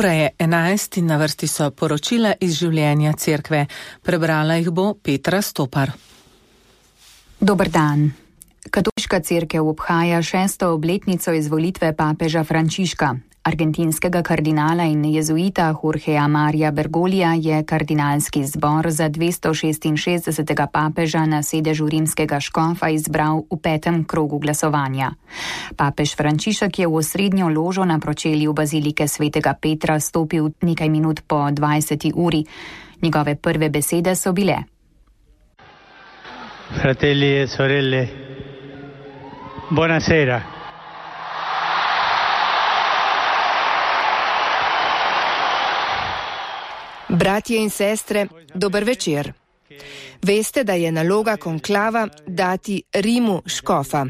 Ura je 11 in na vrsti so poročila iz življenja cerkve. Prebrala jih bo Petra Stopar. Dober dan. Katoliška cerkev obhaja 6. obletnico izvolitve papeža Frančiška. Argentinskega kardinala in jezuita Jorgea Maria Bergoglija je kardinalski zbor za 266. papeža na sedežu rimskega škofa izbral v 5. krogu glasovanja. Papež Frančišek je v osrednjo ložo na pročelju bazilike svetega Petra stopil nekaj minut po 20. uri. Njegove prve besede so bile: Fratelli e sorelle, buonasera. Bratje in sestre, dober večer. Veste, da je naloga konklava dati Rimu škofa.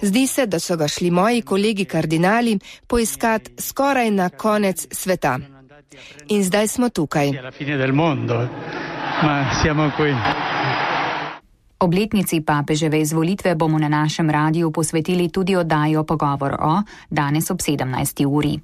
Zdi se, da so ga šli moji kolegi kardinali poiskat skoraj na konec sveta. In zdaj smo tukaj. Obletnici papeževe izvolitve bomo na našem radiju posvetili tudi oddajo Pogovor o, danes ob 17. uri.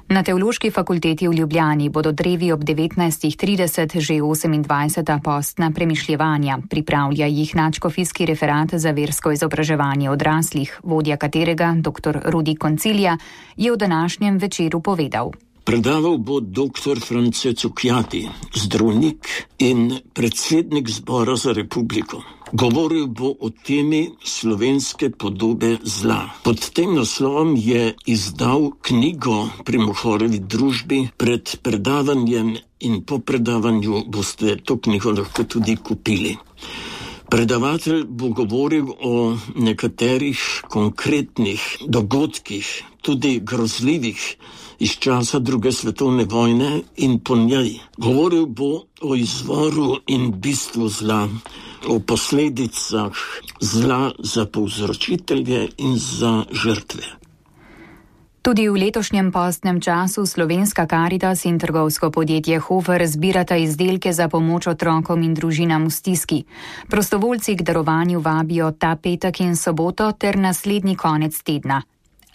Na Teološki fakulteti v Ljubljani bodo drevi ob 19.30 že 28. postna premišljevanja. Pripravlja jih nadškofijski referat za versko izobraževanje odraslih, vodja katerega, dr. Rudi Koncilija, je v današnjem večeru povedal. Predaval bo dr. France Cukjati, zdravnik in predsednik Zbora za republiko. Govoril bo o temi slovenske podobe zla. Pod tem naslovom je izdal knjigo pri Mohorevi družbi. Pred predavanjem in po predavanju boste to knjigo lahko tudi kupili. Predavatelj bo govoril o nekaterih konkretnih dogodkih, tudi grozljivih, iz časa druge svetovne vojne in po njej. Govoril bo o izvoru in bistvu zla, o posledicah zla za povzročitelje in za žrtve. Tudi v letošnjem postnem času Slovenska Karitas in trgovsko podjetje Hofer zbirata izdelke za pomoč otrokom in družinam v stiski. Prostovoljci k darovanju vabijo ta petek in soboto ter naslednji konec tedna.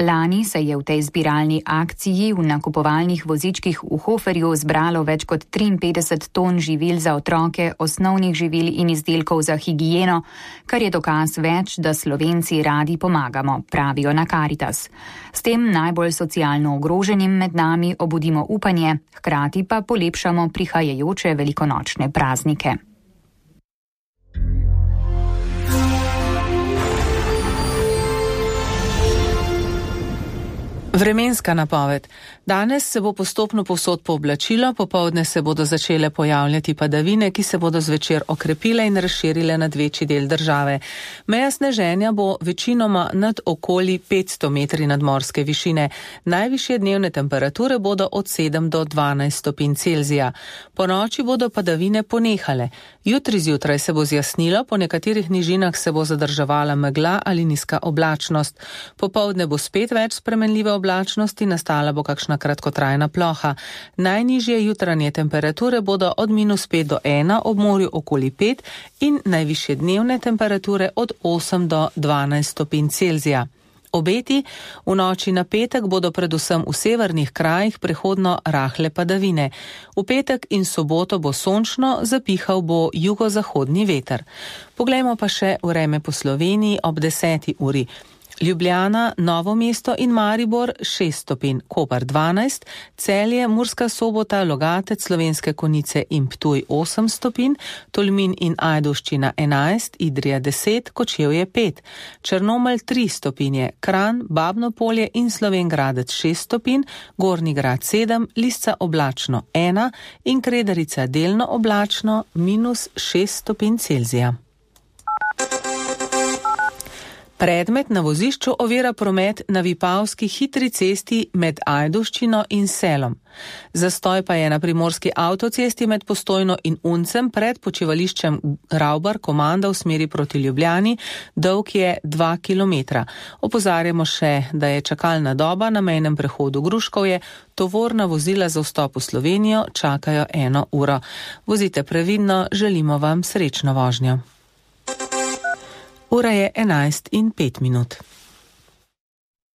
Lani se je v tej zbiralni akciji v nakupovalnih vozičkih v Hoferju zbralo več kot 53 ton živil za otroke, osnovnih živil in izdelkov za higieno, kar je dokaz več, da Slovenci radi pomagamo, pravijo na Karitas. S tem najbolj socialno ogroženim med nami obudimo upanje, hkrati pa polepšamo prihajajoče velikonočne praznike. Vremenska napoved. Danes se bo postopno povsod pooblačilo, popoldne se bodo začele pojavljati padavine, ki se bodo zvečer okrepile in razširile nad večji del države. Meja sneženja bo večinoma nad okoli 500 metri nadmorske višine. Najvišje dnevne temperature bodo od 7 do 12 stopinj Celzija. Po noči bodo padavine ponehale. Jutri zjutraj se bo zjasnilo, po nekaterih nižinah se bo zadrževala megla ali nizka oblačnost. Popoldne bo spet več spremenljive oblačnosti, nastala bo kakšna kratkotrajna ploha. Najnižje jutranje temperature bodo od -5 do 1, ob morju okoli 5 in najvišje dnevne temperature od 8 do 12 stopinj Celzija. Obeti v noči na petek bodo predvsem v severnih krajih prehodno rahle padavine. V petek in soboto bo sončno, zapihal bo jugozahodni veter. Poglejmo pa še vreme po Sloveniji ob 10. uri. Ljubljana, Novo mesto in Maribor 6 stopinj, Koper 12, Celje, Murska Sobota, Logatec, Slovenske Konjice in Ptuj 8 stopinj, Tolmin in Ajdovščina 11, Idrija 10, Kočevje 5, Črnomelj 3 stopinje, Kranj, Babno Polje in Slovenj Gradec 6 stopinj, Gornji Grad 7, Lisca oblačno 1 in Kredarica delno oblačno -6 stopinj Celzija. Predmet na vozišču ovira promet na Vipavski hitri cesti med Ajdovščino in Selom. Zastoj pa je na primorski avtocesti med Postojno in Uncem pred počivališčem Ravbar Komanda v smeri proti Ljubljani, dolg je 2 km. Opozarjamo še, da je čakalna doba na mejnem prehodu Gruškovje, tovorna vozila za vstop v Slovenijo čakajo 1 uro. Vozite previdno, želimo vam srečno vožnjo. Ura je 11:05.